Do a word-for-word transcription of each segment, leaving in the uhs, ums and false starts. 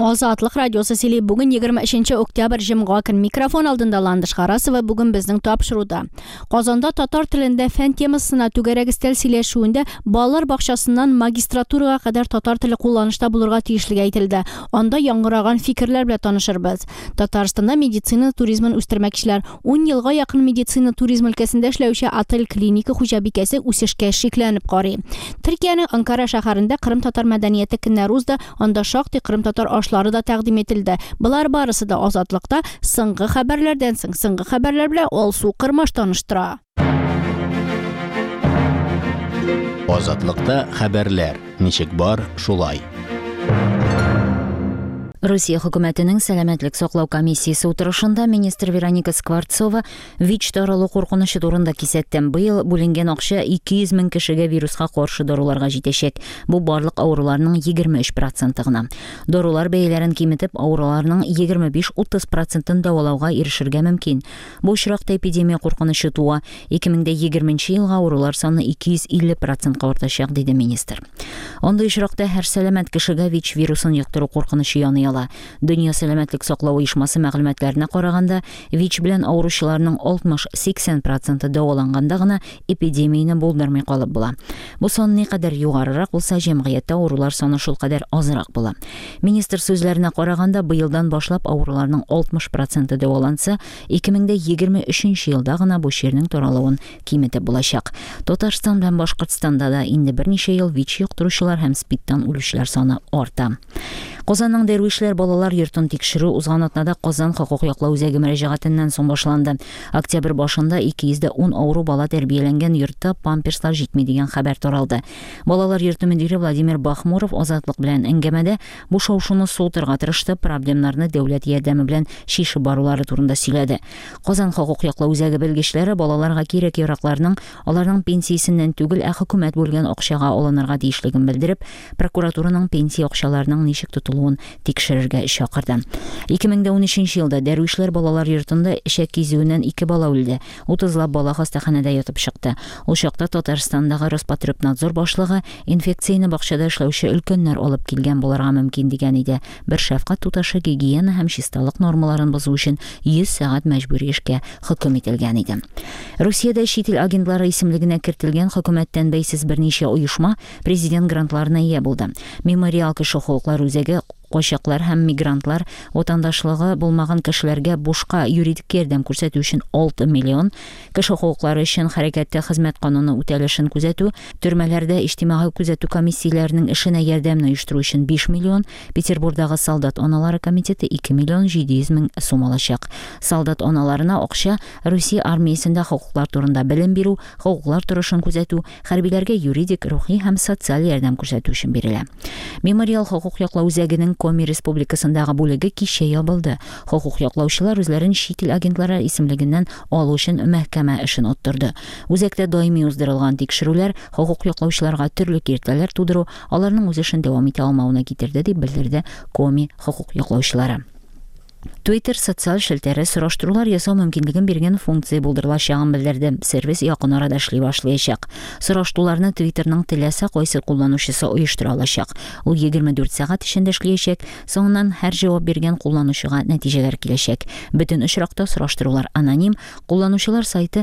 Азатлык радиосы сөйли. Бүген егерме өченче октябрь, җомга көн. Микрофон алдында Ландыш Харасова. Бүген безнең тапшыруда: Казанда татар телендә фән темасына түгәрәк өстәл сөйләшүендә балалар бакчасыннан магистратурага кадәр татар теле кулланышта булырга тиешлеге әйтелде. Анда яңгыраган фикерләр белән танышырбыз. Татарстанда медицина туризмын үстермәкчеләр. Ун елга якын медицина туризм өлкәсендә эшләүче отель клиника хуҗабикәсе үсешкә шикләнеп карый. Төркиянең Анкара шәһәрендә Кырым татар мәдәнияте көннәре узды. Анда шактый кырым татар ашлары да тәкъдим ителде. Болар барысы да Азатлыкта соңгы хәбәрләрдән соң. Соңгы хәбәрләр белән Алсу Кырмаш таныштыра. Азатлыкта хәбәрләр ничек бар, шулай. Русия хөкүмәтенең сәламәтлек саклау комиссиясе утырышында министр Вероника Скворцова ВИЧ таралу куркынычы турында кисәтте. Быел бүленгән акча ике йөз мең кешегә вируска каршы даруларга җитәчәк. Бу барлык авыруларның егерме өч проценты гына. Дарулар бәяләрен киметеп, авыруларның егерме биш-утыз процентын дәвалауга ирешергә мөмкин. Бу очракта эпидемия куркынычы туа. Ике мең дә егерменче елга авырулар саны ике йөз илле процентка артачак, диде министр. Андый очракта һәр сәламәт кешегә ВИЧ вирусын йоктыру куркынычы яный ала. Дөнья сәламәтлек саклау оешмасы мәгълүматларына караганда, ВИЧ белән авыручыларның алтмыш-сиксән проценты дәваланганда гына эпидемияне булдырмый калып була. Бу сан никадәр югарырак булса, җәмгыятьтә авырулар саны шул кадәр азрак була. Министр сүзләренә караганда, быелдан башлап авыруларның алтмыш проценты дәваланса, ике мең дә егерме өченче елда гына бу чирнең таралуын киметеп булачак. Татарстан белән Башкортстанда да инде берничә ел ВИЧ йоктыручылар һәм СПИДтан үлүчеләр саны арта. Казанның Дәрвишләр балалар йортын тикшерү узган атнада Казан хокук яклау үзәге мөрәҗәгатеннән соң башланды. Октябрь башында ике йөз дә ун авыру бала тәрбияләнгән йортта памперслар җитми дигән хәбәр таралды. Балалар йорты мөдире Владимир Бахмуров Азатлык белән әңгәмәдә бу шау-шуны суытырга тырышты, проблемнарны дәүләт ярдәме белән чишеп барулары турында сөйләде. Казан хокук яклау үзәге белгечләре балаларга кирәк яракларның аларның пенсиясеннән түгел, ә хөкүмәт бүлгән акчага алынырга тиешлеген белдереп, прокуратураның пенсия акчаларының ничек тотылуын тикшерергә чакырды. Ике мең дә унөченче елда Дәрвишләр балалар йортында эчәк кизүеннән ике бала үлде. Утызлап бала хастаханәдә ятып чыкты. Ул чакта Татарстандагы Роспотребнадзор башлыгы инфекцияне бакчада эшләүче өлкәннәр алып килгән булырга мөмкин дигән иде. Бер шәфкать туташы гигиена һәм чисталык нормаларын бозу өчен йөз сәгать мәҗбүри эшкә хөкем ителгән иде. Русиядә чит ил агентлары исемлегенә кертелгән хөкүмәттән бәйсез берничә оешма президент грантларына ия булды. Мемориал кеше хокуклары үзәге качаклар һәм мигрантлар ватандашлыгы булмаган кешеләргә бушка юридик ярдәм күрсәтү өчен алты миллион, кеше хокуклары өчен хәрәкәттә хезмәт кануны үтәлешен күзәтү, төрмәләрдә иҗтимагый күзәтү комиссияләренең эшенә ярдәмне оештыру өчен биш миллион, Петербургдагы солдат аналары комитеты ике миллион җиде йөз мең сум алачак. Солдат аналарына акча Русия армиясендә хокуклар турында белем бирү, хокуклар торышын күзәтү, хәрбиләргә юридик, рухи һәм социаль ярдәм күрсәтү өчен бирелә. Мемориал хокук яклау үзәгенең Коми Республикасындагы бүлеге кичә ябылды. Хокук яклаучылар үзләрен чит ил агентлары исемлегеннән алу өчен мәхкәмә эшен оттырды. Үзәктә даими уздырылган тикшерүләр хокук яклаучыларга төрле киртәләр тудыру, аларның үз эшен дәвам итә алмавына китерде, дип белдерде Коми хокук яклаучылары. Twitter социаль челтәре сораштырулар ясау мөмкинлеген биргән функция булдырылачагын белдерде. Сервис якын арада эшли башлаячак. Сораштыруларны Twitterның теләсә кайсы кулланучысы оештыра алачак. Ул егерме дүрт сәгать эчендә эшләячәк. Соңыннан һәр җавап биргән кулланучыга нәтиҗәләр киләчәк. Бөтен очракта сораштырулар аноним. Кулланучылар сайты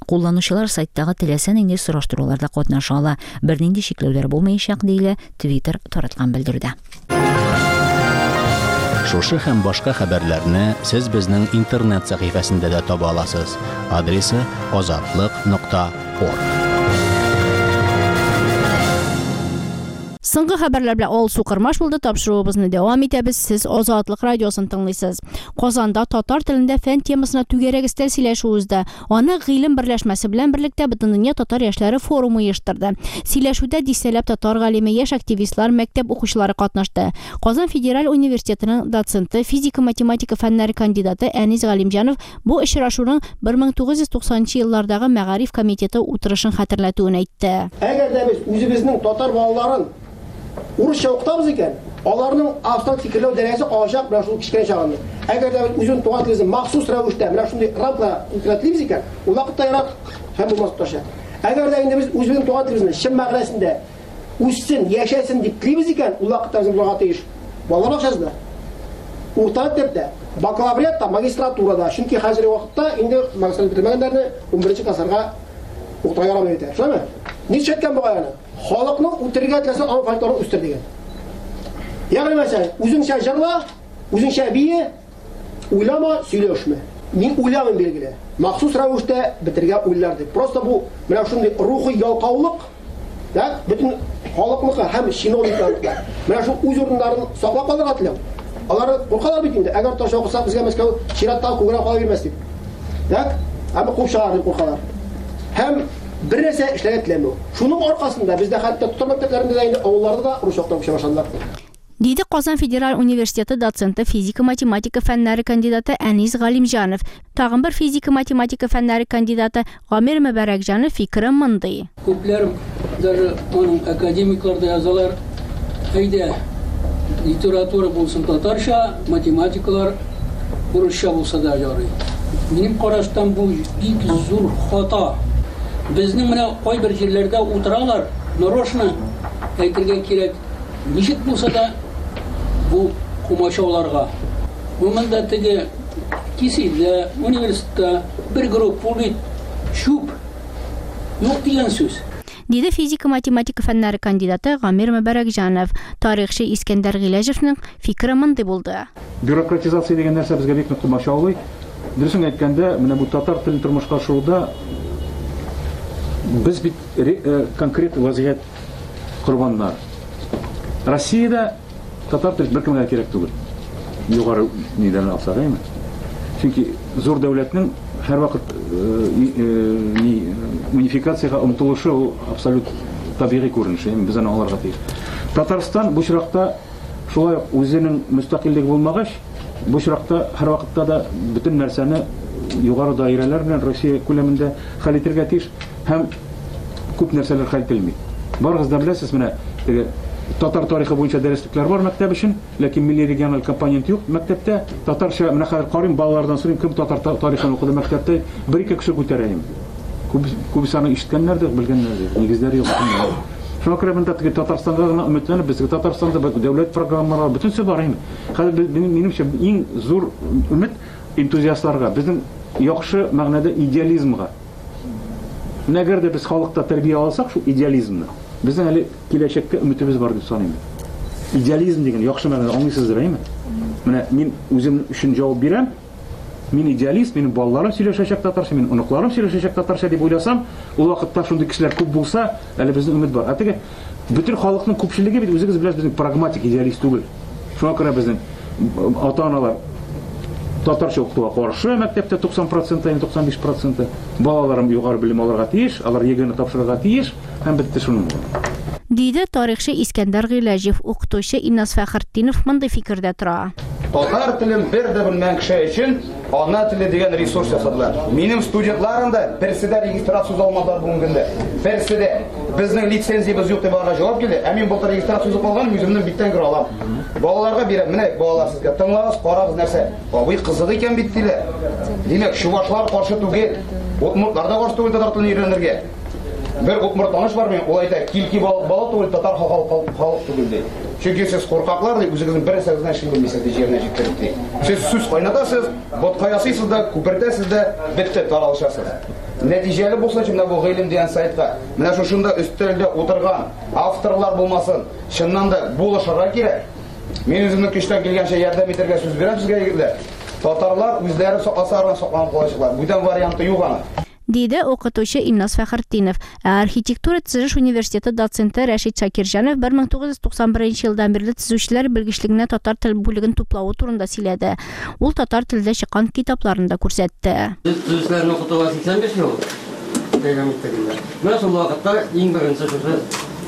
Кулланучылар сайттагы теләсә нинди сораштыруларда катнаша ала. Бернинди чикләүләр булмаячак, диелә Twitter тараткан белдерүдә. Шушы һәм башка хәбәрләрне сез безнең интернет сәхифәсендә дә таба аласыз. Адресы азатлык нокта орг. Соңгы хәбәрләр белән Алсу Кырмаш булды. Тапшыруыбызны дәвам итәбез. Сез Азатлык радиосын тыңлыйсыз. Казанда татар телендә фән темасына түгәрәк өстәл сөйләшү узды. Аны Гыйлем берләшмәсе белән берлектә Бөтендөнья татар яшьләре форумы оештырды. Сөйләшүдә дистәләп татар галиме, яшь активистлар, мәктәп укучылары катнашты. Казан федераль университетының доценты, физика-математика фәннәре кандидаты Әнис Галимҗанов бу очрашуның бер мең тугыз йөз туксанынчы еллардагы мәгариф комитеты утырышын хәтерләтүен әйтте. Әгәр дә без үзебезнең татар балаларын урысча укытабыз икән, аларның абстракт фикерләү дәрәҗәсе калачак менә шул кечкенә чагында. Әгәр дә без үзен туган телебезне махсус рәвештә менә шундый рамкада укытабыз икән, ул вакытта ерак һәм булмас тоташа. Әгәр дә инде без үзебезнең туган телебезне чын мәгънәсендә үссен, яшәсен дип телибез икән, ул вакытта безнең булырга тиеш Балалар бакчасында, урта мәктәптә, бакалавриатта, магистратурада. Чөнки хәзерге вакытта инде магистратура бетермәгәннәрне унберенче классларга укытырга ярамый бит. Шулаймы? Ничә әйткән бугай аны? Халыкны үтерергә теләсәң, аның фольклорын үстер дигән. Ягъни мәсәлән, үзеңчә җырла, үзеңчә бие, уйлама, сөйләшмә. Мин уйламыйм билгеле. Махсус рәвештә бетергә уйлар дип. Просто бу менә шундый рухи ялкаулык, да, бөтен халыкныкы һәм чиновникларныкы. Менә шул үз урыннарын саклап калырга теләү. Алар куркалар бит инде. Әгәр таш окусак, безгә Мәскәү чираттагы күгрәк кала бирмәс дип. Так? Әмма куып чыгар дип куркалар. Һәм бер нәрсә эшләргә теләмәү. Шуның аркасында бездә хәтта татар мәктәпләрендә дә инде авылларда да рус яктан күчә башладылар. Диде Казан федераль университеты доценты, физика-математика фәннәре кандидаты Әнис Галимҗанов. Тагын бер физика-математика фәннәре кандидаты Гамир Мөбәрәкҗанов фикере мондый. Күпләр даже аның академиклар да язалар, әйдә, литература булсын татарча, математикалар урысча булса да ярый. Минем караштан бу бик зур хата. Безнең менә кайбер җирләрдә утыралар, нарочно әйтергә кирәк, ничек булса да бу комачауларга. Бу монда теге кисилдә, университетта бер группа бит чүп юк дигән сүз. Диде физика-математика фәннәре кандидаты Гамир Мөбәрәкҗанов. Тарихчы Искәндәр Гыйләҗевнең фикере мондый булды. Бюрократизация дигән нәрсә безгә бик нык комачаулый. Дөресен әйткәндә, менә бу татар телен тормышка ашыруда без бит конкрет вазгыять корбаннар. Россиядә татар теле беркемгә кирәк түгел. Югары нидән алсак, әйме? Чөнки зур дәүләтнең һәрвакыт ни унификациягә омтылышы ул абсолют табигый күренеш, әйме? Без аны аңларга тиеш. Татарстан бу очракта шулай ук үзенең мөстәкыйльлеге булмагач, бу очракта һәрвакытта да бөтен нәрсәне югары даирәләр белән Россия күләмендә хәл итәргә тиеш һәм күп нәрсәләр хәл ителми. Барыгыз да беләсез, менә теге татар тарихы буенча дәреслекләр бар мәктәп өчен, ләкин милли региональ компонент юк мәктәптә. Татарча менә хәзер карыйм, балалардан сорыйм, кем татар тарихын укыды мәктәптә, бер-ике кеше күтәрә инде. Күп, күбесе аны ишеткәннәр дә, белгәннәр дә, нигезләре юк. Шуңа күрә монда теге Татарстанга гына өметләнеп, безгә Татарстанда дәүләт программалары бөтенесе бар инде. Хәзер минемчә иң зур өмет энтузиастларга, безнең яхшы мәгънәдә идеализмга. Менә әгәр дә без халыкта тәрбия алсак, шул идеализмны, безнең әле киләчәккә өметебез бар дип саныйм. Идеализм дигән яхшы мәгънәдә аңлыйсыздыр, әйме? Менә мин үзем өчен җавап бирәм. Мин идеалист, минем балаларым сөйләшәчәк татарча, минем оныкларым сөйләшәчәк татарча дип уйласам, ул вакытта шундый кешеләр күп булса, әле безнең өмет бар. Ә теге бөтен халыкның күпчелеге бит үзегез беләсез, безнең прагматик идеалист түгел. Шуңа күрә безнең ата-аналар татарча укытуга каршы мәктәптә туксан процент, туксан биш процент балаларым югары белем алырга тиеш, алар ЕГЭны тапшырырга тиеш һәм бетте шуның белән. Диде тарихчы Искәндәр Гыйләҗев. Укытучы Иннас Фәхретдинов мондый фикердә тора. Татар телен бер дә белмәгән кеше өчен ана теле дигән ресурс ясадылар. Минем студентларым да берсе дә регистрация алмадылар бүгенге көндә. Берсе дә. Безнең лицензиябез юк дип аларга җавап килде. Ә мин былтыр регистрация узып алган, үземнең биттән керә алам. Балаларга бирәм. Менә балалар сезгә тыңлагыз, карагыз нәрсә. Абый кызык икән бит диләр. Димәк, чувашлар каршы түгел, удмуртлар да каршы түгел татар телен өйрәнергә. Бер удмурт таныш бар минем, ул әйтә, килки балык балык түгел, татар халык халык түгел ди. Чөнки сез куркаклар ди, үзегезнең бер нәрсәгездән эшли белмисез ди, җиренә җиткереп ди. Сез сүз кайнатасыз, ботка ясыйсыз да, күпертәсез дә, бетте, таралышасыз. Нәтиҗәле булсын өчен менә бу Гыйлем дигән сайтка, менә шушында өстәлдә утырган авторлар булмасын, чыннан да булышырга кирәк. Мин үземнең көчтән килгәнчә ярдәм итәргә сүз бирәм сезгә, егетләр. Татарлар үзләре сакласа, сакланып калачаклар. Бүтән варианты юк аны. Диде укытучы Иннас Фәхретдинов. Ә архитектура төзелеш университеты доценты Рәшит Шакирҗанов бер мең тугыз йөз туксан беренче елдан бирле төзүчеләр белгечлегенә татар тел бүлеген туплавы турында сөйләде. Ул татар телендә чыккан китапларын да күрсәтте. Без төзүчеләрне укытуга сиксән биш ел дәвам иттек. Менә шул вакытта иң беренче шушы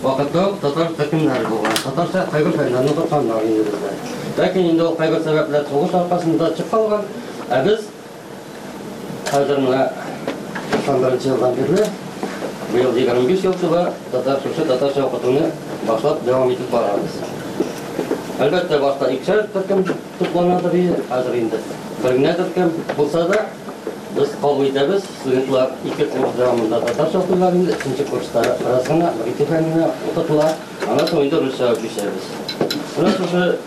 вакытта татар төркемнәре булган. Татарча кайбер фәннәрне укытканнар инде бездә. Ләкин инде ул кайбер сәбәпләр сугыш аркасында чыгып калган. Ә без хәзер менә туксан беренче елдан бирле, быел егерме биш ел тула татар шушы татарча укытуны башлап дәвам итеп барабыз. Әлбәттә, башта икешәр төркем тупланадыр иде, хәзер инде бер генә төркем булса да без кабул итәбез. Студентлар ике курс дәвамында татарча укыйлар инде, өченче курста бераз гына бер ике фәнне укытыла, аннан соң инде русча күчәбез. Менә шушы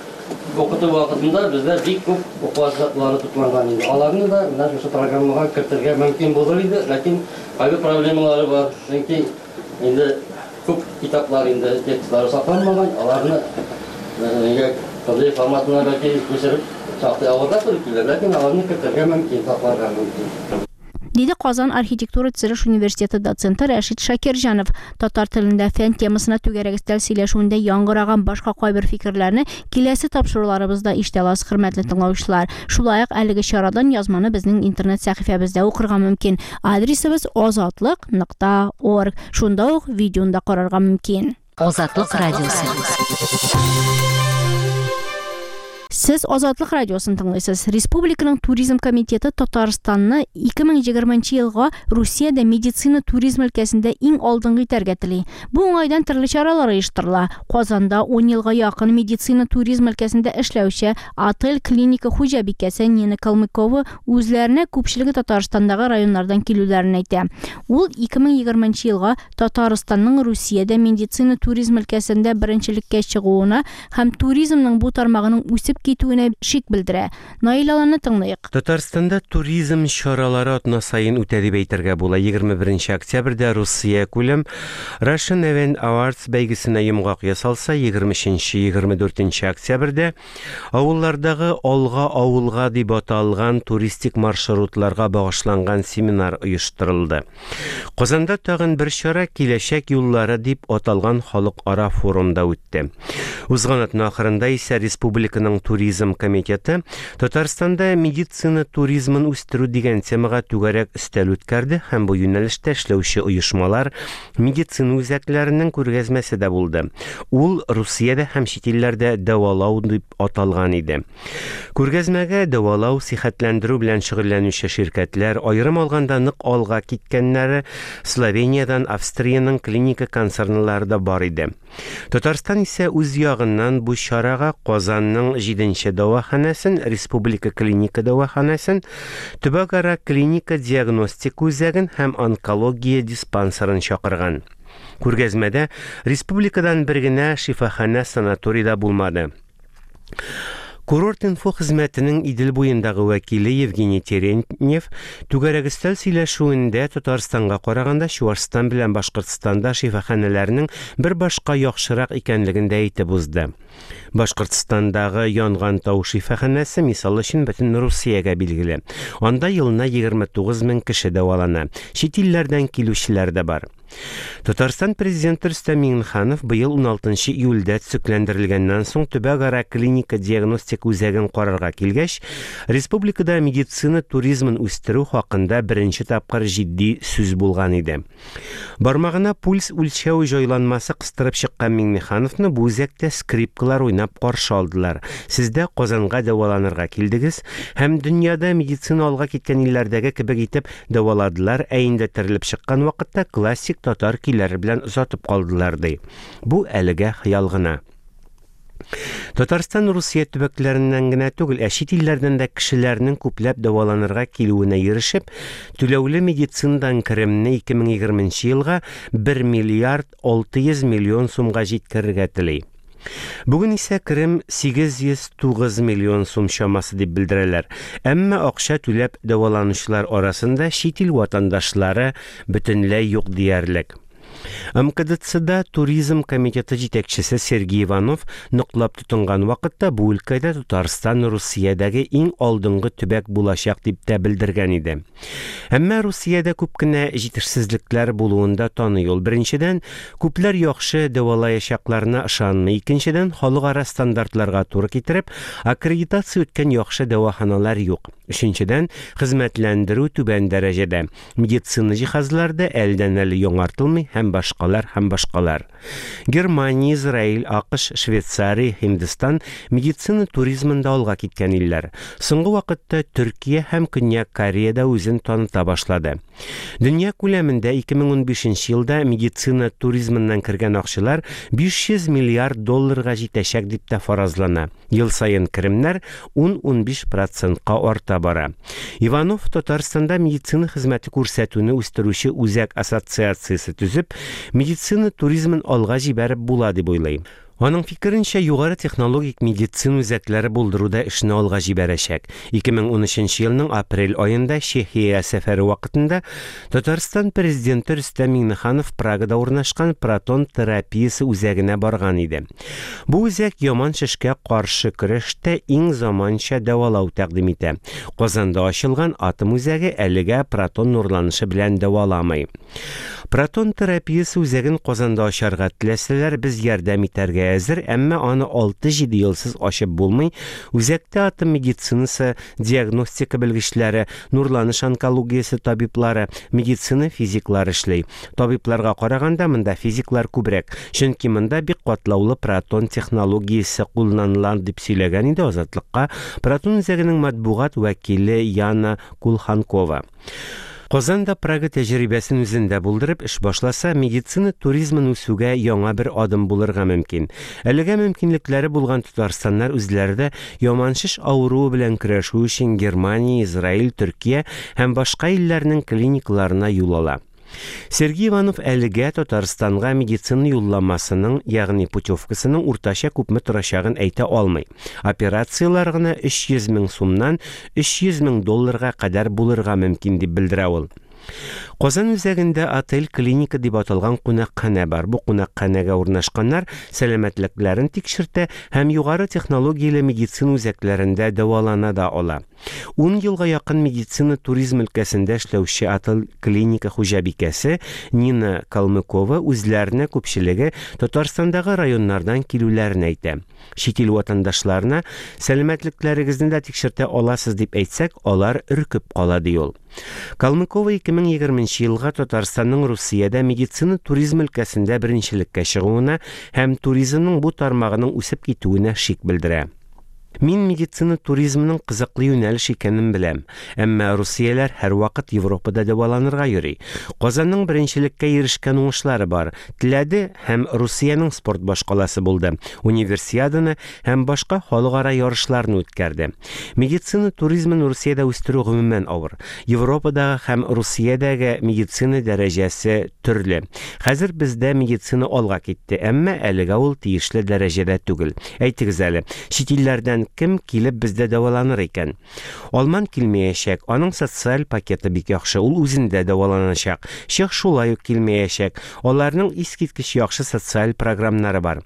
Укыту вакытында бездә бик күп уку әсбаплары тупланган инде. Аларны да менә шушы программага кертергә мөмкин булыр иде, ләкин кайбер проблемалары бар. Чөнки инде күп китаплар инде текстлары сакланмаган, аларны нигә P D F форматына бәлки күчереп шактый авырга туры килер, ләкин аларны кертергә мөмкин, сакларга мөмкин. Диде Казан архитектура төзелеш университеты доценты Рәшит Шакирҗанов. Татар телендә фән темасына түгәрәк өстәл сөйләшүендә яңгыраган башка кайбер фикерләрне киләсе тапшыруларыбызда ишетә аласыз, хөрмәтле тыңлаучылар. Шулай ук әлеге чарадан язманы безнең интернет сәхифәбездә укырга мөмкин. Адресыбыз азатлык нокта орг. Шунда ук видеоны да карарга мөмкин. Азатлык радиосы. Сез Азатлык радиосын тыңлыйсыз. Республиканың туризм комитеты Татарстанны ике мең егерменче елга Русиядә медицина туризм өлкәсендә иң алдынгы итәргә тели. Бу уңайдан төрле чаралар оештырыла. Казанда ун елга якын медицина туризм өлкәсендә эшләүче отель клиника хуҗабикәсе Нина Калмыкова үзләренә күпчелеге Татарстандагы районнардан килүләрен әйтә. Ул ике мең егерменче елга Татарстанның Русиядә медицина туризм өлкәсендә беренчелеккә чыгуына һәм туризмның бу тармагының үсеп китүенә шик белдерә. Наил Аланны тыңлыйк. Татарстанда туризм чаралары атна сайын үтә дип әйтергә була. Егерме беренче октябрьдә Русия күләм Russian Event Awards бәйгесенә йомгак ясалса, егерме өченче, егерме дүртенче октябрьдә авыллардагы Алга авылга дип аталган туристик маршрутларга багышланган семинар оештырылды. Казанда тагын бер чара Киләчәк юллары дип аталган халыкара форумда үтте. Узган атна ахырында исә республиканың туризм комитеты Татарстанда медицина туризмын үстерү дигән темага түгәрәк өстәл үткәрде һәм бу юнәлештә эшләүче оешмалар медицина үзәкләренең күргәзмәсе дә булды. Ул Русиядә һәм чит илләрдә дәвалау дип аталган иде. Күргәзмәгә дәвалау, сихәтләндерү белән шөгыльләнүче ширкәтләр, аерым алганда нык алга киткәннәре Словениядән, Австриянең клиника концернлары да бар иде. Татарстан исә үз ягыннан бу чарага Казанның җиденче дәваханәсен, Республика клиника дәваханәсен, төбәкара клиника диагностика үзәген һәм онкология диспансерын чакырган. Күргәзмәдә республикадан бер генә шифаханә санаторий да булмады. Курорт-инфо хезмәтенең Идел буендагы вәкиле Евгений Терентьев түгәрәк өстәл сөйләшүендә Татарстанга караганда Чуашстан белән Башкортстанда шифаханәләрнең бер башка яхшырак икәнлеген дә әйтеп узды. Башкортстандагы Янган тау шифаханәсе мисал өчен бөтен Русиягә билгеле. Анда елына егерме тугыз мең кеше дәвалана. Чит илләрдән килүчеләр дә бар. Татарстан президенты Рөстәм Миңнеханов быел уналтынчы июльдә төзекләндерелгәннән соң төбәкара клиника диагностика үзәген карарга килгәч, республикада медицина туризмын үстерү хакында беренче тапкыр җитди сүз булган иде. Бармагына пульс үлчәү җайланмасы кыстырып чыккан Миңнехановны бу үзәктә скрипкалар уйнап каршы алдылар. Сез дә Казанга дәваланырга килдегез һәм дөньяда медицина алга киткән илләрдәге кебек итеп дәваладылар, ә инде терелеп чыккан вакытта классик татар көйләре белән озатып калдылар ди. Бу әлегә хыял гына. Татарстан Русия төбәкләреннән генә түгел, ә чит илләрдән дә кешеләрнең күпләп дәваланырга килүенә ирешеп, түләүле медицинадан керемне ике мең егерменче елга бер миллиард алты йөз миллион сумга җиткерергә тели. Бүген исә керем сигез йөз тугыз миллион сум чамасы дип белдерәләр. Әмма акча түләп дәваланучылар арасында чит ил ватандашлары бөтенләй юк диярлек. М К Д Ц-да туризм комитеты җитәкчесе Сергей Иванов ныклап тотынган вакытта бу өлкәдә Татарстан Русиядәге иң алдынгы төбәк булачак дип тә белдергән иде. Әмма Русиядә күп кенә җитешсезлекләр булуын да таный ул. Беренчедән, күпләр яхшы дәвалаячакларына ышанмый. Икенчедән, халыкара стандартларга туры китереп, аккредитация үткән яхшы дәваханалар юк. Өченчедән, хезмәтләндерү түбән дәрәҗәдә. Медицина җиһазлары да әлдән-әле яңартылмый һәм башкалар һәм башкалар. Германия, Израиль, АКШ, Швейцария, Һиндстан медицина туризмында алга киткән илләр. Соңгы вакытта Төркия һәм Көньяк Корея да үзен таныта башлады. Дөнья күләмендә ике мең унбишенче елда медицина туризмыннан кергән акчалар биш йөз миллиард долларга җитәчәк дип тә фаразлана. Ел саен керемнәр ун-унбиш процентка арта бара. Иванов Татарстанда медицина хезмәте күрсәтүне үстерүче үзәк ассоциациясе төзеп, медицина туризмын алга җибәреп була дип уйлый. Аның фикеренчә, югары технологик медицина үзәкләре булдыруда эшне алга җибәрәчәк. ике мең унөченче елның апрель аенда Чехия сәфәре вакытында Татарстан президенты Рөстәм Миңнеханов Прагада урнашкан протон терапиясе үзәгенә барган иде. Бу үзәк яман шешкә каршы көрәштә иң заманча дәвалау тәкъдим итә. Казанда ачылган атом үзәге әлегә протон нурланышы белән дәваламый. Протон терапиясе үзәген Казанда ачарга теләсәләр, без ярдәм итәргә әзер, әмма аны алты-җиде елсыз ачып булмый. Үзәктә атом медицинасы, диагностика белгечләре, нурланыш онкологиясе табиблары, медицина физиклары эшли. Табибларга караганда монда физиклар күбрәк, чөнки монда бик катлаулы протон технологиясе кулланыла, дип сөйләгән иде Азатлыкка протон үзәгенең матбугат вәкиле Яна Кулханкова. Казанда Прага тәҗрибәсен үзендә булдырып эш башласа, медицина туризмын үсүгә яңа бер адым булырга мөмкин. Әлегә мөмкинлекләре булган татарстаннар үзләре дә яман шеш авыруы белән көрәшү өчен Германия, Израиль, Төркия һәм башка илләрнең клиникаларына юл ала. Сергей Иванов әлегә Татарстанга медицина юлламасының, ягъни путевкасының уртача күпме торачагын әйтә алмый. Операциялар гына өч йөз мең сумнан өч йөз мең долларга кадәр булырга мөмкин, дип белдерә ул. Казан үзәгендә отель клиника дип аталган кунакханә бар. Бу кунакханәгә урнашканнар сәламәтлекләрен тикшертә һәм югары технологияле медицина үзәкләрендә дәвалана да ала. Ун елга якын медицина туризм өлкәсендә эшләүче отель клиника хуҗабикәсе Нина Калмыкова үзләренә күпчелеге Татарстандагы районнардан килүләрен әйтә. Чит ил ватандашларына сәламәтлекләрегезне дә тикшертә аласыз дип әйтсәк, алар өркеп кала, ди ул. Калмыкова ике мең егерменче елга Татарстанның Русиядә медицина туризм өлкәсендә беренчелеккә чыгуына һәм туризмның бу тармагының үсеп китүенә шик белдерә. Мин медицина туризмының кызыклы юнәлеш икәнен беләм, әмма русияләр һәрвакыт Европада дәваланырга йөри. Казанның беренчелеккә ирешкән уңышлары бар. Теләде һәм Русиянең спорт башкаласы булды. Универсиаданы һәм башка халыкара ярышларны үткәрде. Медицина туризмын Русиядә үстерү гомумән авыр. Европадагы һәм Русиядәге медицина дәрәҗәсе төрле. Хәзер бездә медицина алга китте, әмма әлегә ул тиешле дәрәҗәдә түгел. Әйтегез әле, чит илләрдән кем килеп бездә дәваланыр икән? Алман килмәячәк, аның социаль пакеты бик яхшы, ул үзендә дәваланачак. Чех шулай ук килмәячәк, аларның искиткеч яхшы социаль програмнары бар.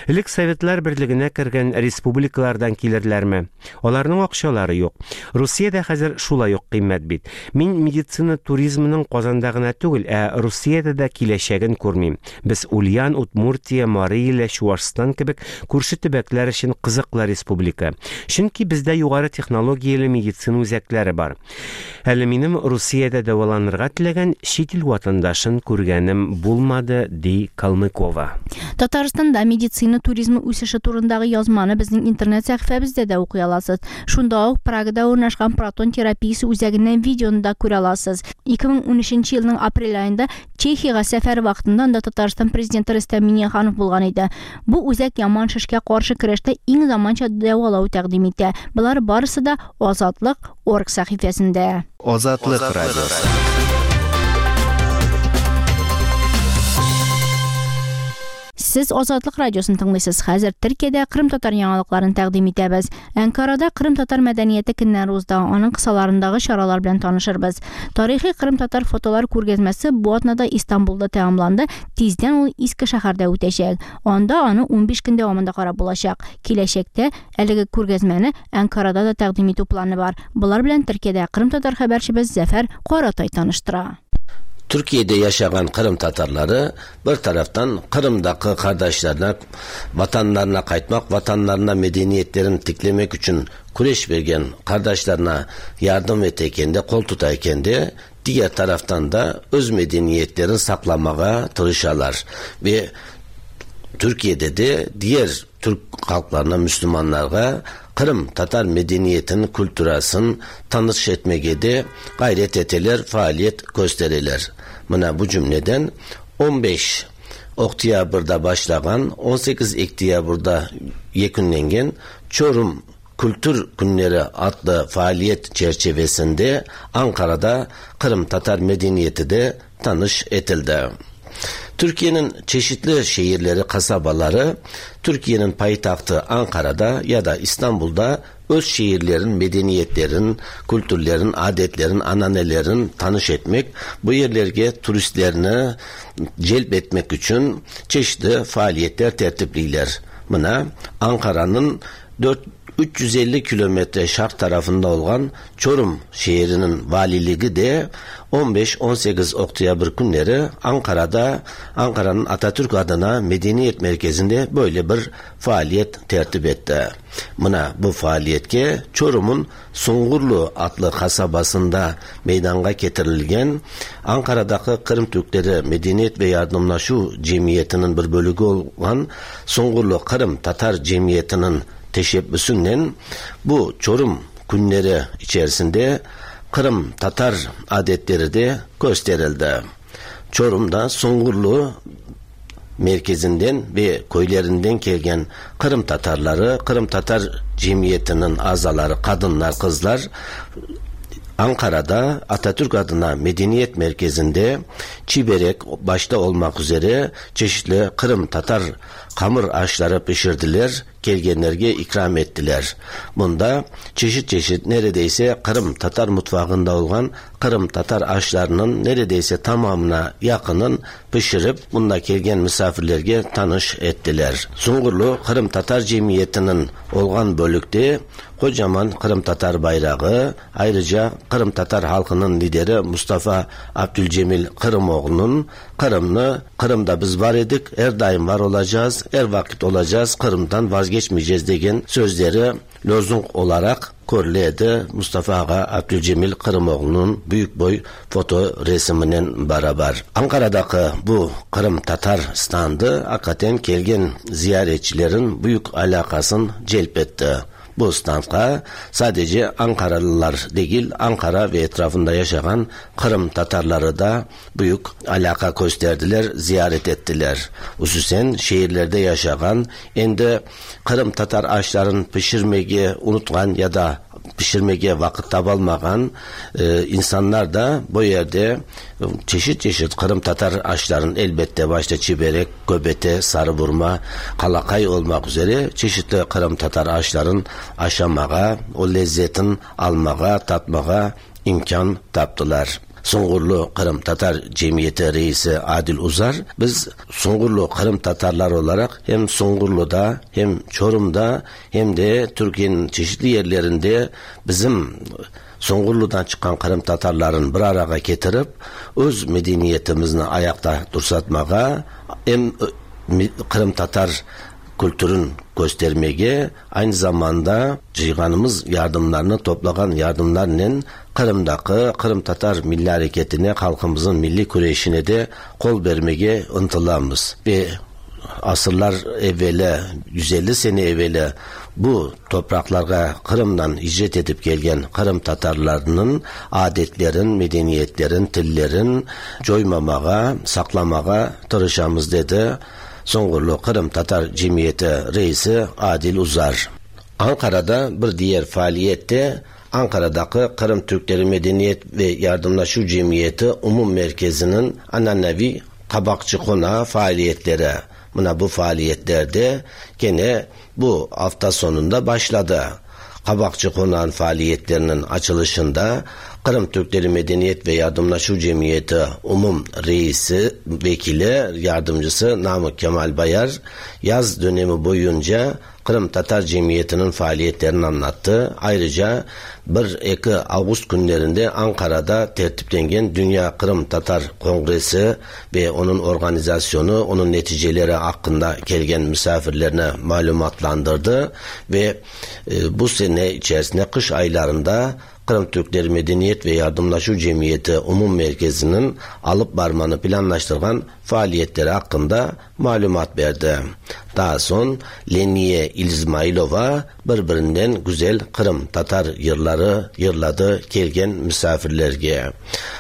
Элек Советлар Берлегенә кергән республикалардан килерләрме? Аларның акчалары юк. Русиядә хәзер шулай ук кыйммәт бит. Мин медицина туризмының Казанда гына түгел, ә Русиядә дә киләчәген күрмим. Без Ульян, Удмуртия, Мария, Чуашстан кебек күрше төбәкләр өчен кызыклы республика. Чөнки бездә югары технологияле медицина үзәкләре бар. Әле минем Русиядә дәваланырга теләгән чит ил ватандашын күргәнем булмады, ди Калмыкова. Татарстанда медицина туризмы үсеше турындагы язманы безнең интернет сәхифәбездә дә укый аласыз. Шунда ук Прагада урнашкан протон терапиясе үзәгеннән видеоны да күрә аласыз. ике мең унөченче елның апрель аенда Чехиягә сәфәр вакытында анда Татарстан президенты Рөстәм Миңнеханов булган иде. Бу үзәк яман шешкә каршы көрәштә иң заманча дәвалау тәкъдим итә. Болар барысы да Азатлык орг сәхифәсендә. Азатлык радиосы. Сез Азатлык радиосын тыңлыйсыз. Хәзер Төркиядә Кырым татар яңалыкларын тәкъдим итәбез. Анкарада Кырым татар мәдәнияте көннәре узды. Аның кысаларындагы чаралар белән танышырбыз. Тарихи Кырым татар фотолар күргәзмәсе бу атнада Истанбулда тәмамланды. Тиздән ул Иске шәһәрдә үтәчәк. Анда аны унбиш көн дәвамында карап булачак. Киләчәктә әлеге күргәзмәне Анкарада да тәкъдим итү планы бар. Болар белән Төркиядә Кырым татар хәбәрчебез Зәфәр Каратай таныштыра. Türkiye'de yaşayan Kırım Tatarları bir taraftan Kırım'daki kardeşlerine, vatanlarına kaytmak, vatanlarına medeniyetlerini tiklemek için küreş bergen kardeşlerine yardım eteken de, kol tutayken de, diğer taraftan da öz medeniyetlerini saklamaya tırışarlar. Ve Türkiye'de de diğer Türk halklarına, Müslümanlara Kırım Tatar medeniyetinin, kültürasını tanış etmege de gayret eteler, faaliyet gösterirler. Mına bu cümleden on beş Oktyabr'da başlagan, on sekiz Oktyabr'da yekunlengen Çorum Kültür Günleri adlı faaliyet çerçevesinde Ankara'da Kırım Tatar medeniyeti de tanış etildi. Türkiye'nin çeşitli şehirleri, kasabaları Türkiye'nin payitahtı Ankara'da ya da İstanbul'da öz şehirlerin, medeniyetlerin, kültürlerin, adetlerin, ananelerin tanış etmek, bu yerlerge turistlerini celp etmek için çeşitli faaliyetler tertipleyler. Buna Ankara'nın dört üç yüz elli kilometre şark tarafında olan Çorum şehrinin valiliği de on beş on sekiz Oktyabr günleri Ankara'da, Ankara'nın Atatürk adına Medeniyet Merkezi'nde böyle bir faaliyet tertip etti. Buna bu faaliyetke Çorum'un Sungurlu adlı kasabasında meydana getirilgen Ankara'daki Kırım Türkleri Medeniyet ve Yardımlaşu Cemiyeti'nin bir bölüğü olan Sungurlu Kırım Tatar Cemiyeti'nin teşebbüsünden bu Çorum günleri içerisinde Kırım Tatar adetleri de gösterildi. Çorum'da Sungurlu merkezinden ve köylerinden gelen Kırım Tatarları, Kırım Tatar Cemiyeti'nin azaları, kadınlar, kızlar Ankara'da Atatürk adına Medeniyet Merkezi'nde çiberek başta olmak üzere çeşitli Kırım Tatar hamur aşları pişirdiler, gelgenlerge ikram ettiler. Bunda çeşit çeşit neredeyse Kırım Tatar mutfağında olan Kırım Tatar aşlarının neredeyse tamamına yakının pişirip bunda gelgen misafirlerge tanış ettiler. Sungurlu Kırım Tatar Cemiyeti'nin olgan bölükte kocaman Kırım Tatar bayrağı, ayrıca Kırım Tatar halkının lideri Mustafa Abdülcemil Kırımoğlu'nun Kırım'ı, Kırım'da biz var edik, her daim var olacağız, her vakit olacağız, Kırım'dan vazgeçmeyeceğiz degen sözleri lozung olarak körledi Mustafa Ağa Abdülcemil Kırımoğlu'nun büyük boy foto resminin beraber. Ankara'daki bu Kırım Tatar standı hakikaten kelgen ziyaretçilerin büyük alakasını celp etti. Bu standka sadece Ankaralılar değil, Ankara ve etrafında yaşayan Kırım Tatarları da büyük alaka gösterdiler, ziyaret ettiler. Hususen şehirlerde yaşayan, endi Kırım Tatar aşların pişirmeyi unutkan ya da pişirmege vakit tabalmagan e, insanlar da bu yerde çeşit çeşit Kırım Tatar aşların elbette başta çiberek, göbete, sarı burma, kalakay olmak üzere çeşitli Kırım Tatar aşların aşamağa, o lezzetin almağa, tatmağa imkan taptılar. Sungurlu Kırım Tatar Cemiyeti Reisi Adil Uzar, biz Sungurlu Kırım Tatarlar olarak hem Sungurlu'da hem Çorum'da hem de Türkiye'nin çeşitli yerlerinde bizim Sungurlu'dan çıkan Kırım Tatarların bir araya getirip öz medeniyetimizni ayakta dursatmağa hem Kırım Tatar kültürün göstermege, aynı zamanda cıyganımız yardımlarını toplagan yardımlarla Kırım'daki Kırım Tatar Milli Hareketi'ne, halkımızın milli küreşine de kol vermege ıntılamız. Ve asırlar evveli, yüz elli sene evveli bu topraklara Kırım'dan hicret edip gelgen Kırım Tatarlarının adetlerin, medeniyetlerin, tillerin coymamağa, saklamağa tırışamız dedi Sungurlu Kırım Tatar Cemiyeti Reisi Adil Uzar. Ankara'da bir diğer faaliyette Ankara'daki Kırım Türkleri Medeniyet ve Yardımlaşu Cemiyeti Umum Merkezi'nin ananevi Kabakçı Konağı faaliyetleri. Buna bu faaliyetlerde gene bu hafta sonunda başladı. Kabakçı Konağı'nın faaliyetlerinin açılışında Kırım Türkleri Medeniyet ve Yardımlaşu Cemiyeti Umum Reisi, Vekili, Yardımcısı Namık Kemal Bayar yaz dönemi boyunca Kırım Tatar Cemiyeti'nin faaliyetlerini anlattı. Ayrıca bir iki Ağustos günlerinde Ankara'da tertiplengen Dünya Kırım Tatar Kongresi ve onun organizasyonu, onun neticeleri hakkında gelgen misafirlerine malumatlandırdı ve e, bu sene içerisinde kış aylarında Kırım Türkleri Medeniyet ve Yardımlaşu Cemiyeti Umum Merkezi'nin alıp varmanı planlaştıran faaliyetleri hakkında malumat verdi. Daha son Leniye İzmailova birbirinden güzel Kırım Tatar yırları yırladı kelgen misafirlerge.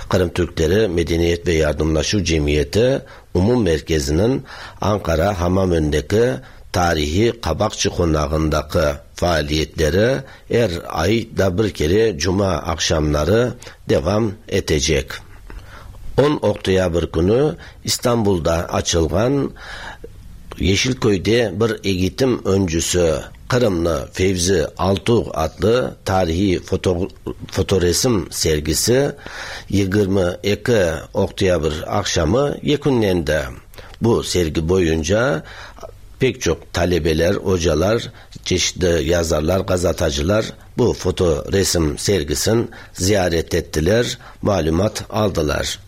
Kırım Türkleri Medeniyet ve Yardımlaşu Cemiyeti Umum Merkezi'nin Ankara Hamamönü'ndeki tarihi Kabakçı Konağı'ndaki faaliyetleri her ayda bir kere cuma akşamları devam edecek. on Oktyabr günü İstanbul'da açılgan Yeşilköy'de bir eğitim öncüsü Kırımlı Fevzi Altuğ adlı tarihi foto, fotoresim sergisi yigirmi ikki oktyabr akşamı yekunlendi. Bu sergi boyunca pek çok talebeler, hocalar, çeşitli yazarlar, gazeteciler bu fotoresim sergisini ziyaret ettiler, malumat aldılar.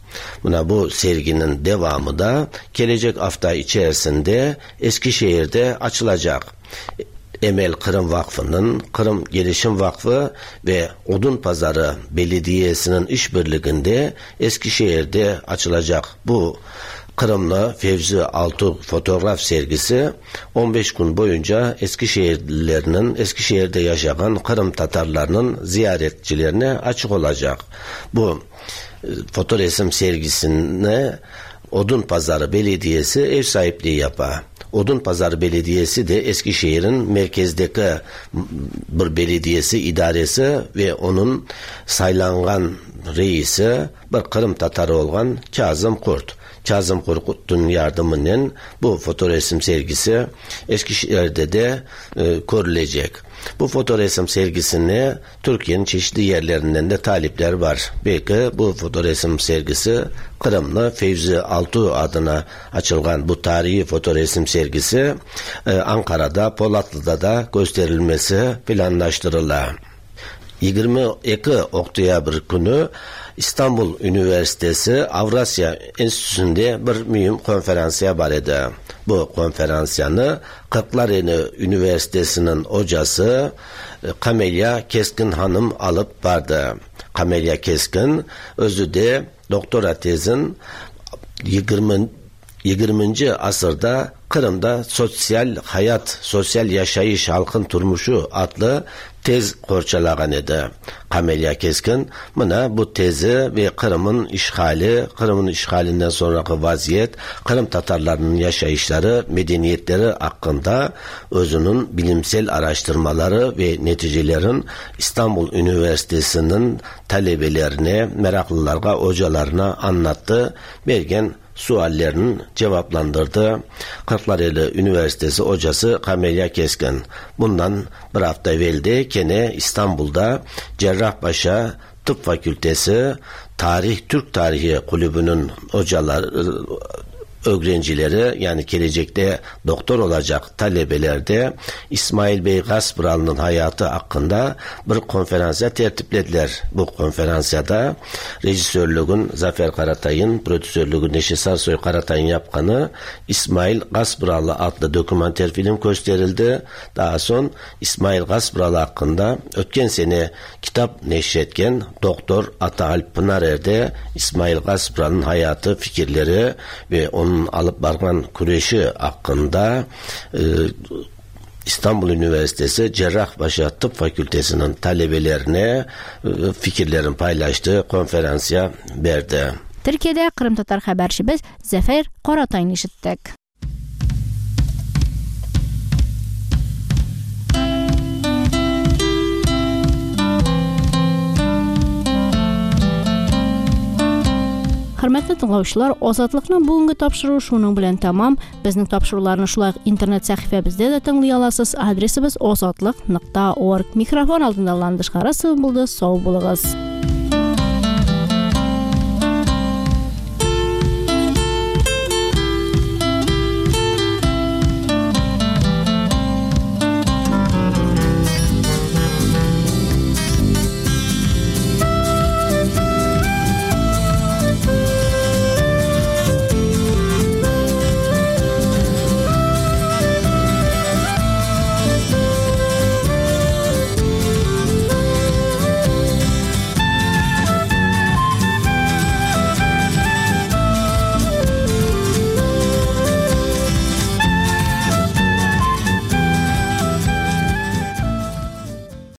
Buna bu serginin devamı da gelecek hafta içerisinde Eskişehir'de açılacak. Emel Kırım Vakfı'nın, Kırım Gelişim Vakfı ve Odunpazarı Belediyesi'nin işbirliğinde Eskişehir'de açılacak bu Kırımlı Fevzi Altuğ fotoğraf sergisi on beş gün boyunca Eskişehirlilerinin, Eskişehir'de yaşayan Kırım Tatarlarının ziyaretçilerine açık olacak. Bu fotoresim sergisine Odunpazarı Belediyesi ev sahipliği yapar. Odunpazarı Belediyesi de Eskişehir'in merkezdeki bir belediyesi, idaresi ve onun saylangan reisi bir Kırım Tatarı olan Kazım Kurt. Kazım Kurt'un yardımıyla bu fotoresim sergisi Eskişehir'de de e, görülecek. Bu fotoresim sergisine Türkiye'nin çeşitli yerlerinden de talipler var. Belki bu fotoresim sergisi Kırımlı Fevzi Altuğ adına açılan bu tarihi fotoresim sergisi e, Ankara'da, Polatlı'da da gösterilmesi planlaştırıla. yigirmi ikki oktyabr günü İstanbul Üniversitesi Avrasya Enstitüsü'nde bir mühim konferansiya var idi. Bu konferansiyanı Kırklareli Üniversitesi'nin hocası Kamelya Keskin Hanım alıp vardı. Kamelya Keskin özü de doktora tezin yigirminchi asırda Kırım'da sosyal hayat, sosyal yaşayış, halkın turmuşu adlı tez qorçalagan edi. Kamelya Keskin mına bu tezi ve Kırım'ın işgali, Kırım'ın işgalinden sonraki vaziyet, Kırım Tatarlarının yaşayışları, medeniyetleri hakkında özünün bilimsel araştırmaları ve neticelerin İstanbul Üniversitesi'nin talebelerine, meraklılara, hocalarına anlattı. Bergen suallerini cevaplandırdı. Kırklareli Üniversitesi hocası Kamelya Keskin. Bundan bir hafta evvel de gene İstanbul'da Cerrahpaşa Tıp Fakültesi Tarih Türk Tarihi Kulübü'nün hocaları, öğrencileri, yani gelecekte doktor olacak talebelerde İsmail Bey Gaspıralı'nın hayatı hakkında bir konferansiya tertiplediler. Bu konferansiyada rejisörlüğün Zafer Karatay'ın, prodüsörlüğün Neşe Sarsoy Karatay'ın yapkanı İsmail Gaspıralı adlı dokümanter film gösterildi. Daha son İsmail Gaspıralı hakkında ötken sene kitap neşretken Doktor Ataalp Pınarer'de İsmail Gaspıralı'nın hayatı, fikirleri ve onun alıp bargan küreşi hakkında e, İstanbul Üniversitesi Cerrahpaşa Tıp Fakültesi'nin talebelerine e, fikirlerini paylaştığı konferansiya verdi. Türkiye'de Kırım Tatar habercimiz Zafer Karatay'ını işittik. Хөрмәтле тыңлаучылар, Азатлыкның бүгенге тапшыруы шуның белән тамам. Безнең тапшыруларны шулай ук интернет сәхифәбездә дә тыңлый аласыз. Адресыбыз озатлык нокта орг. Микрофон алдында Ландыш Харасова булды. Сау булыгыз.